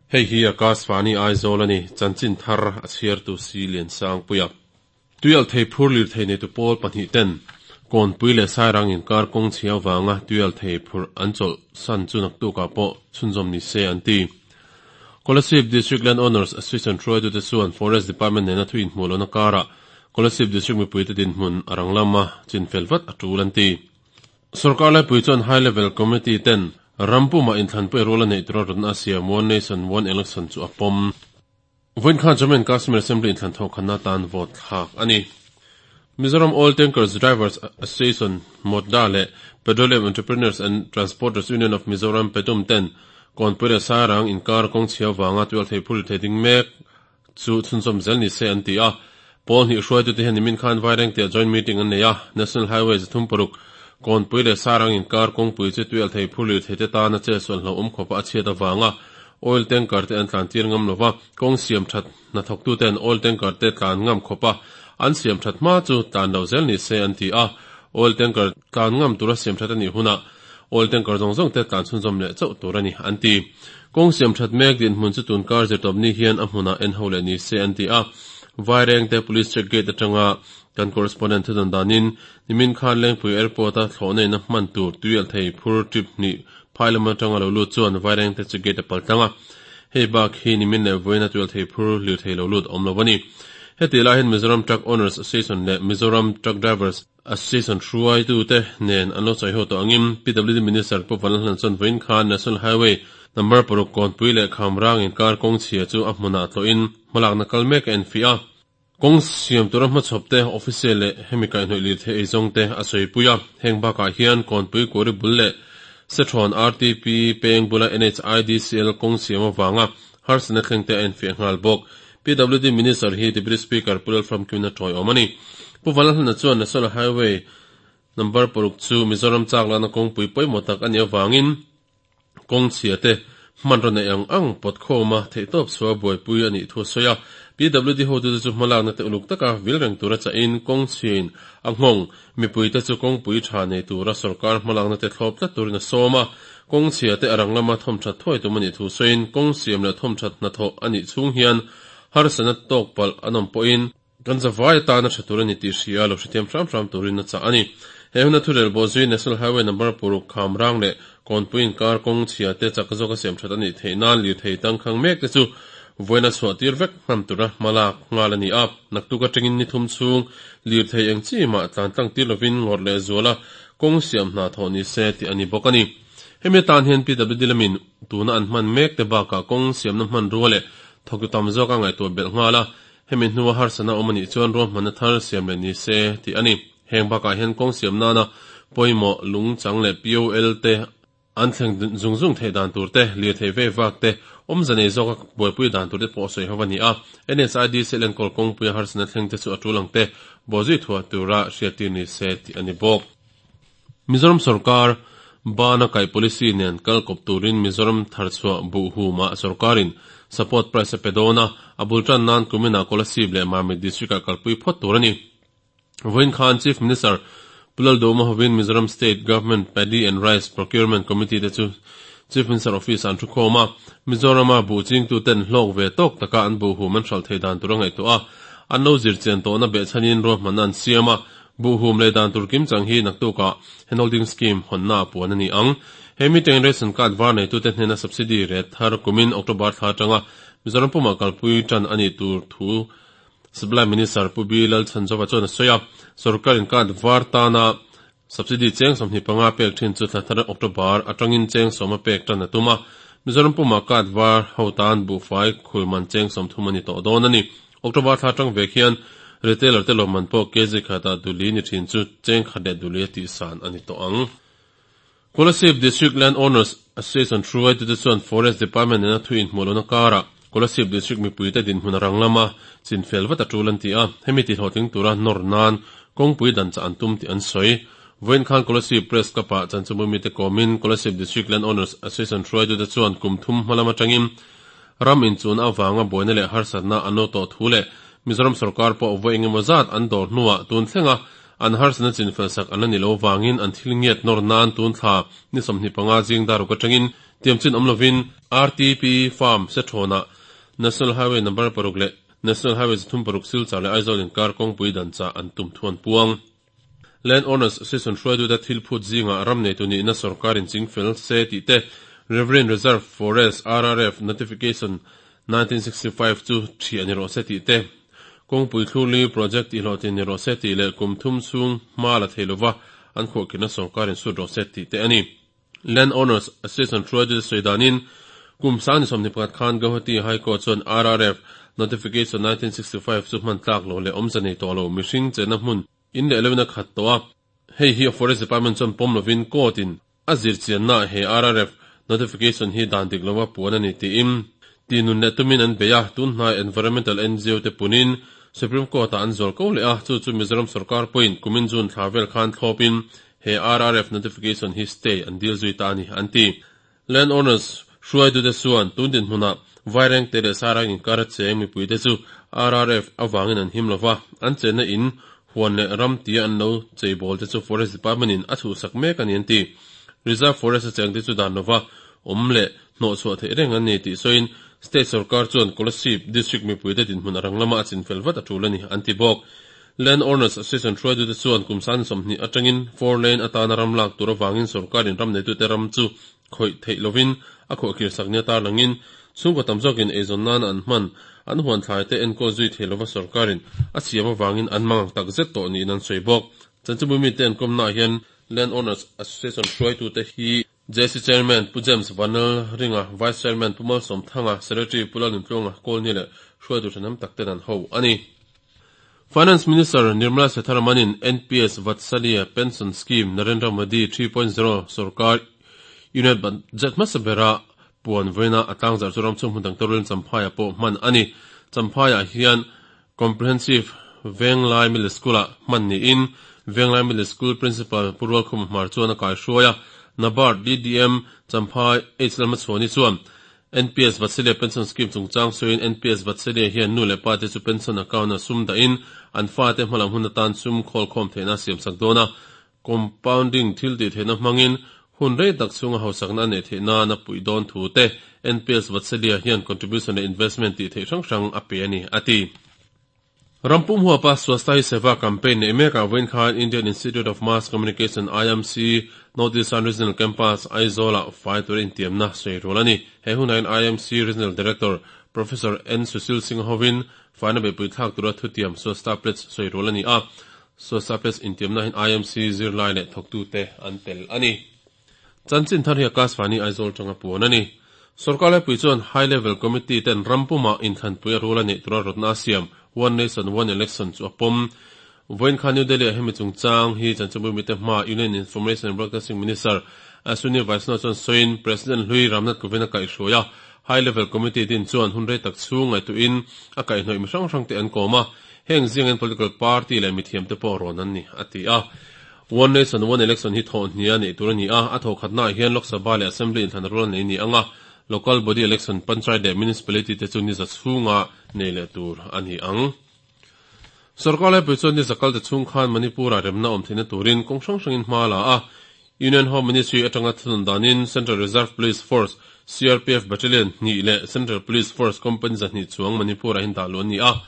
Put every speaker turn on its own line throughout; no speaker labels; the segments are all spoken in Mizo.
Hei hi Akashvani Aizawl a ni, chanchin thar a chhiartu Si Liansangpuia. Tuialhthei phur lirthei neitu pawl pahnihten Kawnpui leh Sairang inkar kawng chhia avanga tuialhthei phurh an chawlh san chu naktukah pawh chhunzawm ni se an ti. Kolasib District Land Owners Association hruaitute chuan Forest Department nena thu inhmuh lohna karah Kolasib District mipuite dinhmun a rang lama chinfel vat a tul an ti. Sorkar laipui chuan High Level Committee ten ram pumah inthlanpui rual a neih tura rawtna a siam One Nation One Election chu a pawm. Vawiin khan Jammu and Kashmir Assembly inthlan thawhkhanna atan vote thlak a ni. Mizoram Oil Tankers Drivers Association, MOTDA, leh Petroleum Entrepreneurs and Transporters Union of Mizoram, PETUM, ten Kawnpui leh Sairang inkar kawng chhia vanga tualthei phur thei ding mek chu chhunzawm zel ni se an ti a. Pawl hnih hruaitute hian nimin khan Vairengte-ah joint meeting an nei a, National Highway 36, Kawnpui leh Sarang inkar kawngpui chu tuialthei phur lirtheite tana chetsual hlauhawm khawpa a chhiat avanga oil tanker te an tlan tir ngam lova, kawng siam that hnathawktuten oil tanker te tlan ngam khawpa an siam that hma chu tlan lo zel ni se an ti a, oil tanker tlan ngam tura siam that a nih hunah Oil tanker zawng zawng te tlan chhunzawm leh chauh tur a ni, an ti. Kawng siam that mek dinhmun chu tun kar zirtawp ni hian a hmunah en ho leh ni se an ti a. Vairengte Police Check Gate atanga kan correspondent thudawn danin nimin khan Lengpui Airport-a thlawhnaina hman tur tuialhthei phur trip hnih phai lam atanga lo lut chuan Vairengte Check Gate a pal tlang a. Hei bak hi nimin leh vawiina tuialhthei phur lirthei lo lut awm lo a ni. Heti lai hian Mizoram Truck Owners Association leh Mizoram Truck Drivers Association hruaitute nen an lo sawi ho tawh angin PWD Minister Pu Vanlalhlan chuan vawiin khan National Highway number paruk Kawnpui leh Khamrang inkar kawng chhia chu a hmunah tlawhin hmalakna kal mek a enfiah a. Kawng siam tura hmachhawp te, official leh hemi kaihhnawih lirthei eizawng te a sawipui a. Heng bakah hian Kawnpui Kuari bul leh Sethrawn RTP peng bula NHIDCL kawng siam avanga harsatna thleng te a enfiah nghal bawk. PWD Minister hi Deputy Speaker Pu Lalfamkimna tawiawm a ni. Pu Vanlalhlana chuan National Highway number paruk chu Mizoram chak lana kawngpui pawimawh tak a nih avangin kawng chhia te hmanraw neih ang ang pawt khawma theihtawp chhuah buaipui a nih thu a sawi a. PWD hotute chu hmalakna te uluk taka vil reng tura chahin kawng chhiain a nghawng Mipuite chu kawngpui tha nei tura sorkar hmalakna te thlawp tlat turin a sawm a, kawng chhia te a rang lama thawmthat thuai tum a nih thu sawiin kawng siam leh thawmthat hnathawh a nih chhung hian harsatna tawk palh an awm pawhin kan zavai atana tha tur a ni tih hria lo hrethiam hram hram turin a chah a ni. He huna thurel bawh zui National Highway number paruk kham rang leh Kawnpui inkar kawng chhia te chak zawka siam that a nih theih nan lirthei tangkhang mek te chu vawiin a chhuah tir vek hman tura hma lak nghal a ni a. Naktuk atangin ni thum chhung lirthei eng chi mah tlan tlang tir lovin ngawrh leh zuala kawng siam hna thawh ni se tih a ni bawk a ni. Hemi atan hian PWD lamin tuna an hman mek te bakah kawng siamna hmanrua leh thawktu tam zawk a ngaihtuah belh nghal a, hemi hnua harsatna awm a nih chuan ruahmanna thar siam leh ni se tih a ni. Heng bakah hian kawng siam nana pawimawh lungchang leh POL te an thleng zung zung theih dan tur te, lirthei vei vak te, awmze nei zawka buaipui dan tur te pawh sawi ho a ni a. NSIDC enkawl kawngpuia harsatna thleng te chu a tul ang te bawhzui thuah tura hriattir ni se tih a ni bawk. Mizoram sorkar bana kaih policy nen kal kawp turin Mizoram tharchhuah buh humah sorkarin support price a pe dawn a, a bul tan nan kuminah Kolasib leh Mamit district-ah kalpui phawt tur a ni. Vawiin khan Chief Minister Pu Lalduhma hovin Mizoram State Government Paddy and Rice Procurement Committee te chu Chief Minister Office ah an thu khawm a, Mizorama buh chingtuten hlawk ve tawk taka an buh hum an hralh theih dan tur a ngaihtuah a, an lo zir chian tawhna behchhanin ruahmanna an siam a, buh hum leh dan tur kimchang hi naktukah Handholding Scheme hawnna ah puan a ni ang. He meeting Ration Card var neitute hnena subsidy ret thar kumin October thla atanga Mizoram pumah kalpui tan a nih tur thu Supply Minister Pu B Lalchhanzova chuan a sawi a, sorkar in card var tana subsidy cheng 25 pek thin chu thla thar October atangin cheng 10 pek tan a tum a, Mizoram pumah card var ho tan buhfai khulman cheng 30 a ni tawh dawn a ni. October thla atang vek hian retailer te lawmman pawh kg khatah duli ni thin chu cheng khat leh duli a tihsan a ni tawh ang. Kolasib District Land Owners Association hruaitute chuan Forest Department nena thu inhmuh lohna karah Kolasib District mipuite dinhmun a rang lama chinfel vat a tul an ti a, hemi tihlawhtling tura nawr nan kawngpui dan chah an tum tih an sawi. Vawiin khan Kolasib Press Club-ah chanchubui mite kawmin Kolasib District Land Owners Association hruaitute chuan kum thum hma lam atangin ram inchuna avanga buaina leh harsatna an lo tawh thu leh Mizoram sorkar pawh vawi engemaw zat an dawr hnuah tun thlenga An harsatna chinfel sak an la ni lo vangin an thil ngiat nawr nan tun thla ni 25 zing daruk atangin Tiam chin awm lovin RTP Farm Sethawnah National Highway number paruk leh National Highway 36 Silchar leh Aizawl inkar kawngpui dan chah an tum thu an puang. Land Owners Association hruaitute thil phut zingah ram neitu nihna sorkarin chingfel se tih te, Riverine Reserve Forest, RRF, Notification 1965 chu thiah ni rawh se tih te, kawngpui thlurli project tihhlawhtlin ni rawh se tih leh kum thum chhung hma la thei lova an khuahkhirhna sorkarin sut rawh se tih te a ni. Land Owners Association hruaitute sawi danin kum 2021 khan Guwahati High Court chuan RRF Notification 1965 chu hman tlak lo leh awmze nei tawh lo mihring chenna hmun in leh loin a khat tawh a, hei hi Forest Department chuan pawm lovin court in a zirchiannaah he RRF Notification hi dan dik lova puan a ni tiin ti nun leh tumin an bei a, tun hnai Environmental NGO te punin Supreme Court ah an zual ko leh a, chu chu Mizoram sorkar pawhin kumin June thla vel khan thlawpin he RRF Notification hi stay an dil zui ta a ni, an ti. Land owners hruaitute chuan tun dinhmunah Vairengte leh Sairang inkar a cheng mipuite chu RRF avangin an him lova, an chenna in huan leh ram tia an lo cheibawl te chu Forest Department in a chhuhsak mek a ni an ti. Reserve Forest a chengte chu dan lova awm leh hnawhchhuah theih reng an ni tih sawiin State sorkar chuan Kolasib District mipuite dinhmun a rang lama a chinfel vat a tul a ni an ti bawk. Land Owners Association hruaitute chuan kum 20 atangin four lane atana ram lak tur avangin sorkarin ram neitute ram chu khawih theih lovin a khuahkhir sak nia tarlangin chhungkaw tam zawkin eizawn nana an hman an huan thlaite enkawl zui thei lova sorkarin a siam avangin an mang tak zet tawh niin an sawi bawk. Chanchinbu mite an kawmnaah hian Land Owners Association hruaitute hi JC Chairman Pu James Vanal Ringa, Vice Chairman Pu Malsawm Thanga, Secretary Pu Lalnuntluanga Kawlni leh hruaitu thahnem tak ten an ho a ni. Finance Minister Nirmala Sitharaman-in NPS Vatsalya Pension Scheme Narendra Modi 3.0 sorkar Unit Budget hmasa bera puan vawiina a tlangzarh chu ramchhung hmun dang te rualin Champhaiah pawh hman a ni. Champhaiah hian Comprehensive Venglai Middle School-ah hman niin Venglai Middle School Principal Pu Rualkhuma Hmar chuan a kaihruai a, NABARD DDM Champhai H Lalmachhuani chuan NPS Vatsalya Pension Scheme chungchang sawiin NPS Vatsalya hian nu leh pa te chu pension account-a sum dahin an fate hmalam hun atan sum khawlkhawm theihna a siamsak dawn a, compounding thil tih theihna hmangin hun rei tak chhunga hausakna a neih theih nan a puih dawn thu te NPS Vatsalya hian contribution leh investment tih theih hrang hrang a pe a ni, a ti. Rampum huapa Swasthya Hi Seva campaign neih mekah vawiin khan Indian Institute of Mass Communication, IMC, North Eastern Regional Campus, Aizawl-ah fai tura intiamna sawi rual a ni. He hunah hian IMC Regional Director Professor N. Sushil Singh hovin faina beihpui thlak tura thutiam Swasthya Pledge sawi rual a ni a. Swasthya Pledge intiamna hian IMC zirlai leh thawktute an tel a ni. Chanchin thar hi Akashvani Aizawl tanga puan a ni. Sorkar laipui chuan High Level Committee ten ram pumah inthlanpui a rul a neih tura rawtna a siam One Nation One Election chu a pawm. Vawiin khan New Delhi-ah hemi chungchang hi chanchinbu mite hmaa Union Information and Broadcasting Minister Ashwini Vaishnaw chuan sawiin President hlui Ramnath Kovind a kaihhruai a, High Level Committee din chuan hun rei tak chhung ngaihtuahin a kaihhnawih mi hrang hrangte an kawm a, heng zingin political party leh mithiamte pawh rawn an ni, a ti a. One Nation One Election hi thawh hnia neih tur a ni a, a thawh khatnaah hian Lok Sabha leh Assembly inthlan rual nei ni ang a, Local Body Election, Panchayat leh Municipality te chu ni za chhunga nei leh tur a ni ang. Sorkar laipui chuan ni za kalte chhung khan Manipur-ah remna awm theihna turin kawng hrang hrangin hma a la a, Union Home Ministry atanga thunun danin Central Reserve Police Force, CRPF, Battalion hnih leh Central Police Force Company 200 chuang Manipur-ah hin dah luh an ni a.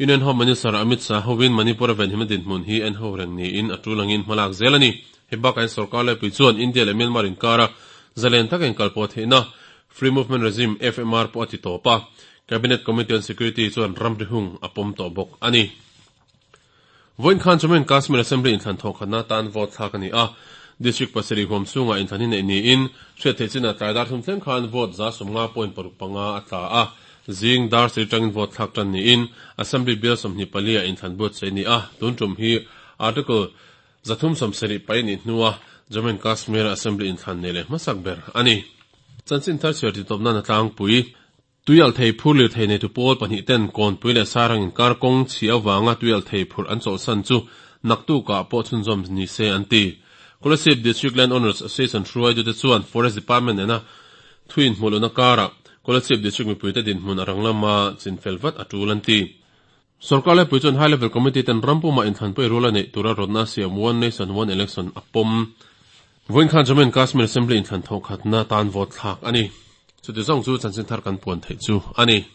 Union Home Minister Amit Shah hovin Manipur-a venhimna dinhmun hi en ho reng niin a tul angin hmalak zel a ni. Hei bakah hian sorkar laipui chuan India leh Myanmar inkara zalen taka inkalpawh theihna Free Movement Regime, FMR, pawh a ti tawp a, Cabinet Committee on Security chuan ramri hung a pawm tawh bawk a ni. Vawiin khan Jammu and Kashmir Assembly inthlan thawhkhatna atan vote thlak a ni a, District pasarih huam chhungah inthlan hi neih niin hriat theih chinah tlai dar thum thleng khan vote 50.65 a tla a, zing dar sarih tangin vote thlak tan niin Assembly bial 24 ah inthlan buatsaih a ni a, tun tum hi Article 370 paih nih hnua Jammu and Kashmir Assembly inthlan nei leh hmasak ber a ni. Chanchin thar chhiar titawp nan a tlangpui. Tuialhthei phur lirthei neitu pawl pahnih ten Kawnpui leh Sairang inkar kawng chhi avanga tuialhthei phurh an chawlhsan chu naktukah pawh chhunzawm ni se an ti. Kolasib District Land Owners Association hruaitute chuan Forest Department nena thu inhmuh lohna karah Kolasib District mipuite dinhmun a rang lama chinfel vat a tul an ti. Sorkar laipui chuan High Level Committee ten ram pumah inthlanpui rual a neih tura rawtna siam One Nation One Election a pawm. Vawiin khan Jammu and Kashmir Assembly inthlan thawh khatna tan vote thlak a ni. Chuti zawng chu chanchin thar kan puan theih chu a ni.